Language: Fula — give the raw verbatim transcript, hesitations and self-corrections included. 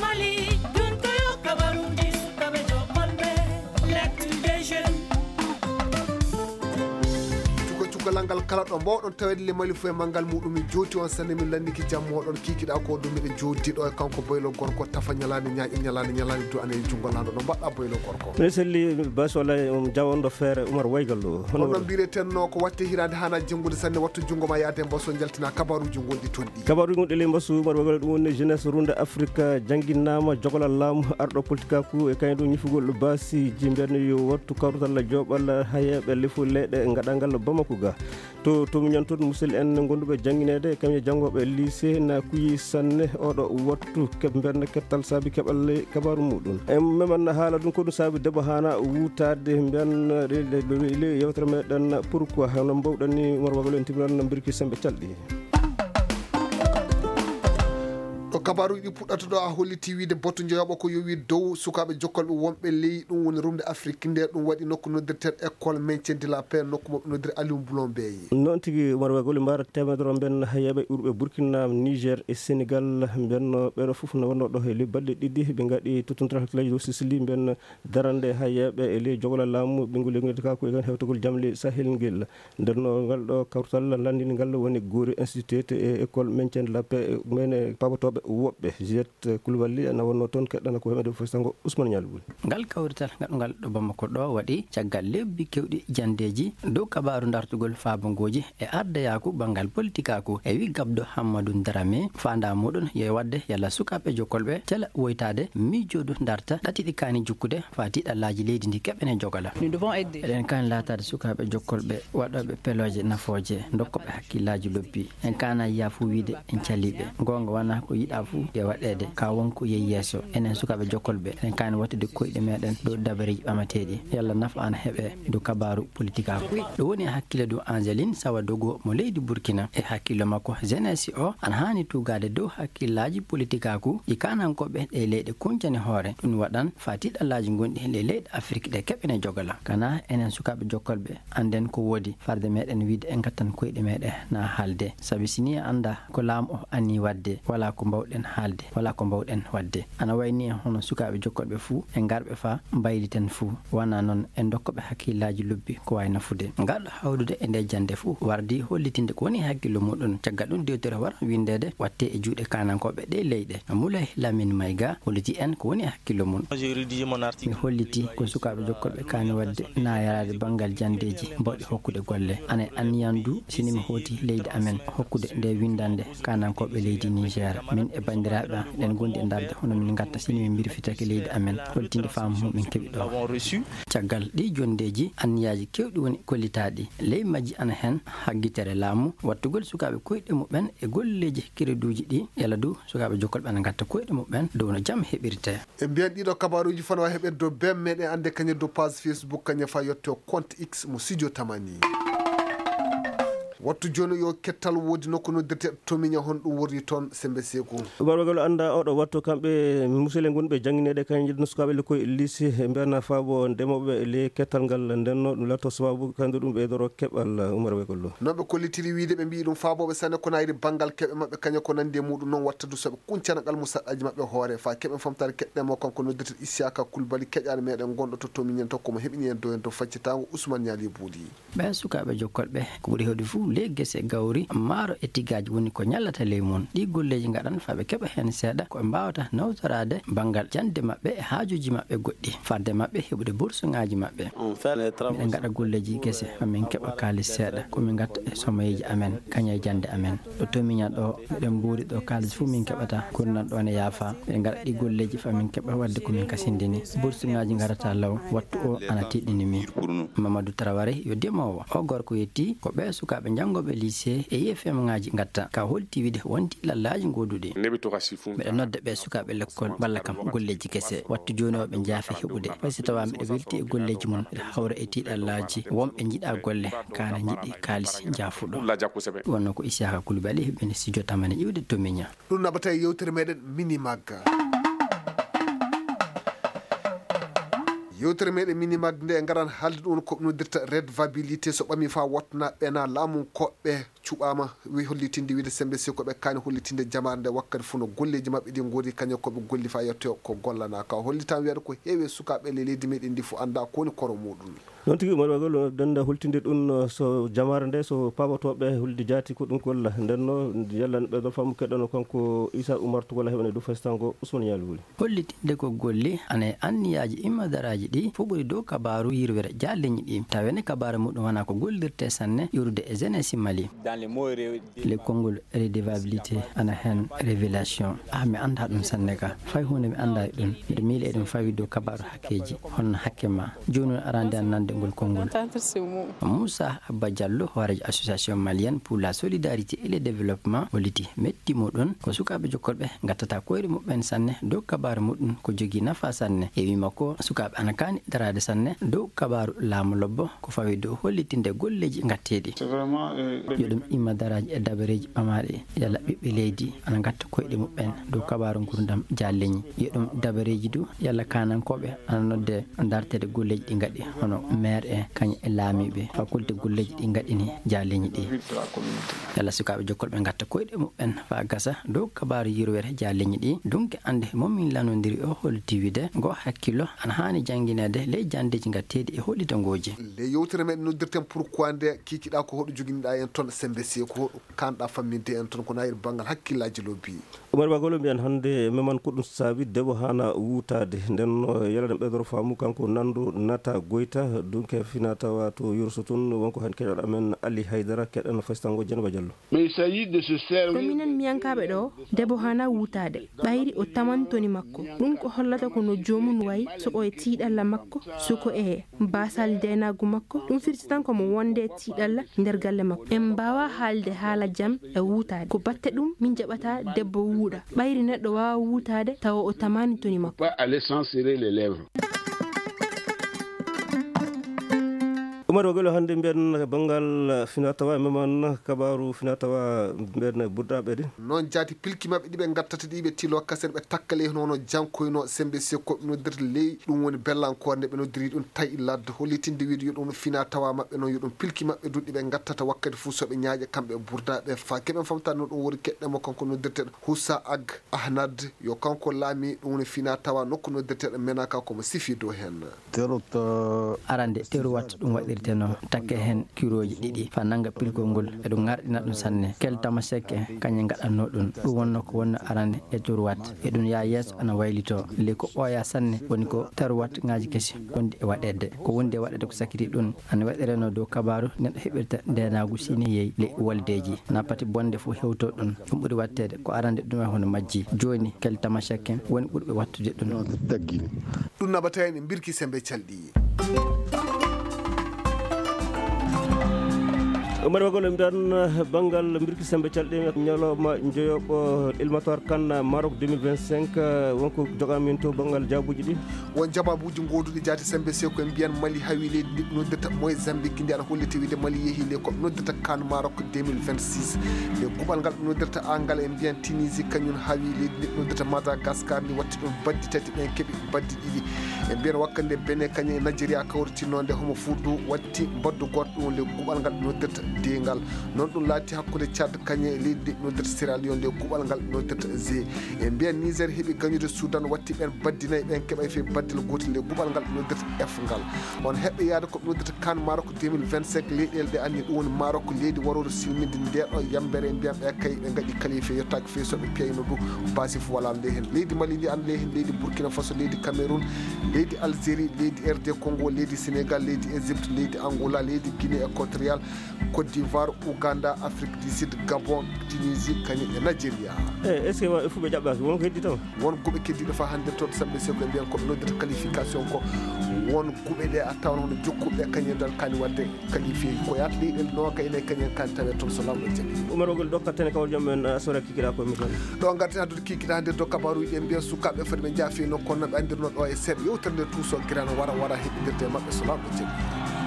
Mali, ɗum ko yo kabaruuji sukaaɓe jokolɓe, l'actu des jeunes. Cuka cukalal ngal kala ɗo mbawɗon taweede le Mali fof e manngal muɗum, min jooti on sanne, min lanndiki jam moɗon, kiikiɗa ko ɗum miɗo joodi ɗo e kanko boylo gorko tafa ñalaande ñaaƴe ñalaande ñalaande du ane e junngo lanɗo, no mbaɗɗa boylo gorko? Min selli bas walla, um, jawonɗo feere Umar Waygal ɗo. Hono honno mbiretenno ko watte hiraande hana jenngude sanne, wattu junngo ma yaade mbaso jaltina kabaruuji gonɗi toon. Kabaruuji gonɗi ley mbasu, mbaɗa wagale ɗum woni jeunesse Runde Afrique jannginnaama jogolal laamu arɗo politikaaku e kañum ɗum ñifugol baasiiji mbiyanno yo wattu kawrutal joɓal hayeeɓe lefu leyɗe gaɗangal Bamako ga. To, to miñan toon musidɓe en gonduɓe janngineede, kañum e janngooɓe lycée na kuyi sanne oɗo wattu keɓ mbiyanno kettal saabi keɓal ley kabaaru muɗum. En meman haala ɗum ko ɗum saabi debbo hana wutaade mbiyanno ley yewtere meɗen pourquoi hono mbawɗen ni Umar Wagalo en timiran mbirki sembe calɗi. Ɗo kabaaruuji ɗi puɗɗata ɗo, a holliti wiide batu njoyaɓo ko yowi dow sukaaɓe jokkolɓe wonɓe ley ɗum woni rumde Afrique, nde ɗum waɗi nokku noddirteeɗo école maintien de la paix, nokku mo ɓe noddiri Aliou Mboulon Beye. Noon tigi, Umar Wagalo, mbaara teemedere mben hayeeɓe urɓe Burkina, Niger e Sénégal mben, ɓeɗo fof no wonno ɗo he ley balɗe ɗiɗi ɓe ngaɗi tottondiral hakkillaji dow Sicily mben darande hayeeɓe e ley jogolal laamu ɓinngol leydi ka ko e hewtagol jam ley Sahel ngel. Nder no ngal ɗo kawtal lanndini ngal woni Gori Institute e école maintien de la paix, mene pabotooɓe woɓɓe, Juliette Koulibaly, na wonno toon keɗɗana ko hemede fof sango Ousmane Nialboul. Ngal kawrital ngaɗungal ɗo Bamako ɗo waɗi caggal lebbi kewɗi jandeeji dow kabaaru dartugol faabongooji e ardayaaku banngal politikaaku e wi gabdo Hammadou Dramé, faandaa muɗum yo waɗde yalla sukaaɓe jokkolɓe cela woytaade miijoodu darta ɗatiɗi kaani jukkude faa tiiɗallaaji leydi ndi keɓene jogala. Nous devons aider. Eɗen kaani laataade sukaaɓe jokkolɓe waɗooɓe pelooje nafooje, dokkooɓe hakkillaaji lobbi. En kaana yiya fuu wiide en calii ɓe. Goonga wonaa ko yiɗaa fuu e waɗeede, ka won ko yehi yeeso. Enen sukaaɓe jokkolɓe, eɗen kaani wattude koyɗe meɗen dow dabareeji ɓamateeɗi. Yalla nafa ana heɓe dow kabaaru politikaaku. Ɗum woni e hakkille dow Angeline Sawadogo mo leydi Burkina. E hakkillo makko, jeunesse o ana haani tuugaade dow hakkillaaji politikaaku ɗi kaanankooɓe ɗe leyɗe kuncani hoore. Ɗum waɗan faa tiiɗallaaji gonɗi e ley leyɗe Afrik ɗe keɓene jogala. Kana enen sukaaɓe jokkolɓe, annden ko woodi, farde meɗen wiide en ngattan koyɗe meɗen na haalde. Sabi si nii a anndaa ko laamu o annii waɗde, walaa ko mbaawɗen haalde, walaa ko mbaawɗen waɗde. Ana wayi nii hono sukaaɓe jokkolɓe fuu, en ngarɓe faa mbayliten fuu. Wonaa noon, en dokkooɓe hakkillaaji lobbi ko waawi nafude. Ngarɗo hawrude e nde jannde fuu wardi hollitinde ko woni hakkillo muɗum. Caggal ɗum, dewtere wara winndeede watte e juuɗe kaanankooɓe ɗe leyɗe. Moulay Lamine Maïga holliti en ko woni hakkillo mum. Mi holliti ko sukaaɓe jokkolɓe kaani waɗde na yaraade banngal janndeeji mbawɗi hokkude golle. Ana e anniyan du, si ni mi hooti leydi amen, hokkude nde winndannde kaanankooɓe leydi Niger. Min e banndiraaɓe am, eɗen ngondi e darde hono min ngatta si ni min mbirfitake leydi amen, holtinde faamu mum min keɓi ɗo. Caggal ɗi jonndeeji, anniyaaji keewɗi woni kollitaaɗi. Ley majji ana heen haggitere laamu, wattugol sukaaɓe koyɗe muɓɓen e golleeji kereduuji ɗi, yalla du sukaaɓe jokkolɓe ana ngatta koyɗe muɓɓen dow no jam heɓirte. E mbiyan ɗiɗo kabaaruuji fana wa heɓirde dow bem meɗen annde kañe dow page Facebook kañe fa yetto compte X mo Sidio Tamani. Wattu jooni yo kettal woodi nokku noddirte Tomiña, hon ɗum worri toon sembe seeku. Umar Wagalo annda oɗo wattu kamɓe musele gonɓe janngineede kañe njedduno sukaaɓe le koye lycée e mbiyana faabo ndemooɓe le kettal ngal ndenno ɗum latto sababu kañum ɗum ɓeydoro keɓal Umar Wagalo. Noon ɓe kollitiri wiide ɓe mbiyi ɗum faabooɓe sanne ko nayri banngal keɓe maɓɓe kañe ko nanndi e muɗum noon watta du soɓe kuncana ngal musaɗɗaji maɓɓe hoore fa keɓen famtaade keɗɗemo kanko noddirte Isiyaka Kulbali keƴaɗo meɗen gonɗo to Tomiñen to komo heɓini en dow en to faccitango Ousmane Ñaali Buuli. Ɓee sukaaɓe jokkolɓe ko ɓuri heewde fof ley gese gawri, maaro e tigaaji woni ko ñallata ley mum. Ɗii golleeji ngaɗan faa ɓe keɓa heen seeɗa ko ɓe mbaawata nawtoraade banngal jannde maɓɓe e haajuuji maɓɓe goɗɗi, fadde maɓɓe heɓude bursuŋaaji maɓɓe. Miɗen ngaɗa golleeji gese faa min keɓa kaalis seeɗa ko min ngatta e somoyeeji amen kañe e jannde amen. Ɗo Tomiña ɗo miɗen mbuuri ɗo kaalis fof min keɓata, gurdam ɗo ne yaafa. Miɗen ngaɗa ɗii golleeji faa min keɓa waɗde ko min kasindini. Bursuŋaaji ngarata law, wattu o ana tiiɗini min. Mamadou Traoré yo demoowo. O gorko yetti ko ɓee sukaaɓe janngooɓe lycée e I F M ŋaaji ngatta. Ka holti wiide wonti lallaaji gooduɗi. Miɗo nodda ɓee sukaaɓe lekkol walla kam golleeji gese. Wattu jooni o ɓe njaafi heɓude. Fay so tawaa miɗo welti e golleeji mum, miɗo hawra e tiiɗallaaji. Wonɓe njiɗa golle, kaana njiɗi kaalis njaafuɗo. Wonno ko Isiyaka Kulbali heɓini Sidio Tamani iwde Tomiña. Ɗum naɓata e yewtere meɗen Mini Magga. Yewtere meɗen Minimag nde ngaran haalde ɗum ko noddirta redevabilité, so ɓami fa wottana ɓena laamu koɓɓe cuɓama wi hollitinde wiide sembe si ko ɓe kaani hollitinde jamaare nde wakkati fof no golleji maɓɓe ɗi goori kañum koɓe golli fa yetto ko gollana ka hollitan wiyata ko heewi sukaɓe le leydi meɗen ndi fof anda ko woni koro muɗum. Noon tigi, Umar Bagol, denda hultinde ɗum, so jamaare nde, so paabotooɓe hulde jaati ko ɗum golla. Nden no, yalla ne ɓeydo faamu keɗɗono kanko Issa Oumar Togola heɓane dow faysango Ousmane Ñaali Wuli. Hollitinde ko golle, ana e anniyaaji immadaraaji ɗi, fof ɓuri dow kabaaru yirwere jaalleñi ɗi. Tawene kabaaru muɗum wona ko gollirte sanne, yurude e jeunesse Mali. Le konngol redevabilité ana heen révélation. Ah, mi anndaa ɗum sanne ka. Fay huunde mi anndaa e ɗum. Miɗo miila eɗum fawi dow kabaaru hakkeeji. Honno hakke ma? Jooni on arande an nande ngol konngol. Moussa Abba Diallo, hooreejo association malienne pour la solidarité et le développement, holliti metti muɗum ko sukaaɓe jokkorɓe ngattata koyɗe muɓɓen sanne dow kabaaru muɗum ko jogii nafa sanne. E wii makko, sukaaɓe ana kaani daraade sanne dow kabaaru laamu lobbo ko fawi dow hollitinde golleeji ngatteeɗi. Yo ɗum imma daraaji e dabareeji ɓamaaɗi, yalla ɓiɓɓe leydi ana ngatta koyɗe muɓɓen dow kabaaru ngurdam jaalleñi. Yo ɗum dabareeji du, yalla kaanankooɓe ana nodde darteede golleeji ɗi ngaɗi, hono maire en, kañum e laamiiɓe, fakulte golleeji ɗi ngaɗini jaalleñi ɗi. Yalla sukaaɓe jokkorɓe ngatta koyɗe muɓɓen faa gasa dow kabaaru yirwere jaalleñi ɗi. Dunke annde mo min lanondiri o holti wiide ngo hakkillo ana haani janngineede ley janndeeji ngatteeɗi e hollitangooji. Nde yewtere meɗen noddirten pourquoi nde kiikiɗa ko hoɗo joginiɗa en toon sembe si ko hoɗo kanɗa famminde en toon ko nayir banngal hakkillaaji lobbi. Umar Bagolo mbiyan hannde meman ko ɗum saabi debbo haana wuutaade. Nden no yalaɗen ɓeydoro faamu kanko Nando Nata Goyta, dunke fina tawa to Yurso tun, wonko heen keɗoɗo amen Ali Haydara, keɗen faysango Jenaba Diallo. Mais il s'agit de se servir. Ko minen miyankaaɓe ɗo, debbo haana wuutaade, ɓayri o taman toni makko. Ɗum ko hollata ko no joomum wayi, so o e tiiɗalla makko, so ko e baasal ndeenaagu makko, ɗum firti tan ko mo wonde tiiɗalla nder galle makko. En mbaawa haalde haala jam e wuutaade. Ko batte ɗum min jaɓata debbo wuuɗa. Ɓayri neɗɗo waawa wuutaade tawa o tamaani toni makko. Pas aller sans serrer les lèvres. Umar Wagelo, hannde mbiyen banngal finatawa, meman kabaaru finatawa mbiyen burdaɓe ɗi. Noon jaati pilki maɓɓe ɗi ɓe ngattata ɗi ɓe tilo kasen ɓe takkale hono jankoyno sembe sekko noddirta ley ɗum woni bellankore nde ɓe noddiri ɗum tawi ladde hollitinde wiide yo ɗum finatawa maɓɓe noon yo ɗum pilki maɓɓe duɗɗi ɓe ngattata wakkati fof soɓe ñaaƴa kamɓe burdaɓe fa keɓen famta no ɗum wori keɗɗe mo kanko noddirteɗo Husa Ag Ahnad yo kanko laami ɗum woni fina tawa nokku noddirteɗo Menaka komo sifi dow heen. Terot. Arande teruwat ɗum waɗirteno takke heen kirooji ɗiɗi fa nannga pilgol ngol eɗum ŋarɗina ɗum sanne. Kel tamaseke kañe ngaɗatno ɗum. Ɗum wonno ko wonno arande e teruwat eɗum yaa yeeso ana waylito ley ko ɓooya sanne woni ko teruwat ŋaaji kesi wonde e waɗeede ko wonde e waɗeede ko sakiti ɗum. Ana waɗireno dow kabaaru neɗɗo heɓirta ndeenaagu siniyey ley woldeeji. Na pati bonde fof hewto ɗum. Ɗum ɓuri waɗteede ko arande ɗum e hono majji. Jooni kel tamaseke woni ɓurɓe waɗtude ɗum. Taggini. Ɗum naɓata en e mbirki sembe calɗi. Umar Wagol mbiyan banngal mbirki sembe calɗi ñalawma njoyoɓo ilmatoire kan Maroc deux mille vingt-cinq wonko jogamin to banngal jaabuji ɗi. Won jababuuji gooduɗi jaati sembe sew ko en mbiyan Mali hawi leydi ndi ɓe noddirta Mozambique ndi ana holliti wiide Mali yehi ley ko ɓe noddirta kan Maroc deux mille vingt-six. Nde kuɓal ngal ɓe noddirta angal en mbiyan Tunisie kañum hawi leydi ndi ɓe noddirta Madagascar ndi watti ɗum baddi tati ɓen keɓi baddi ɗiɗi. En mbiyan wakkati nde Benin kañum e Nigeria kawritinno nde homo fuudu watti mbaddu goto ɗum ley kuɓal ngal ɓe noddirta dengal. Noon ɗum laati hakkunde Tchad kañum e leydi ndi ɓe noddirta Sierra Leone ley kuɓal ngal ɓe noddirta G. En mbiyan Niger heɓi gañude Soudan watti ɓen baddi nayi ɓen keɓay fii baddel gootel ley kuɓal ngal ɓe noddirta F ngal. On heɓɓe yaade ko ɓe noddirta kan Maroc deux mille vingt-cinq leyɗeele ɗe anni ɗum woni Maroc leydi warooru silminde nde ɗo yambere mbiyan ɓe kay ɓe ngaɗi qualifié yottaaki fii so ɓe piyayno ɗum baasi fof wala ley heen. Leydi Mali ndi an ley heen leydi Burkina Faso leydi Cameroun leydi Algérie leydi R D Congo leydi Sénégal leydi Égypte leydi Angola leydi Guinée équatoriale Côte d'Ivoire, Ouganda, Afrique du Sud, Gabon, Tunisie, kañum e Nigeria. E est-ce que wa- fof ɓe jaɓɓaki won ko heddi taw? Won goɓe keddiɗo fa hannde toon samɓe seko e mbiyan koɓe noddata qualification ko won guɓe ɗe a tawan hono jokkuɓe kañum dal kani wadde qualifié ko yaata leyɗel noga ene kañum kani tawe toon so lawɗo jaɓi. Umar Ogol ɗo kattane kawal joom men asora kikiɗa ko mi tan. Ɗo garten haddude kikiɗa hannde to kabaruji en mbiyan sukaɓe foti ɓe jaafino kono ɓe andirno ɗo e seeɗa yewtere nde tuuso girano wara wara heɓindirde e maɓɓe so lawɗo jaɓi.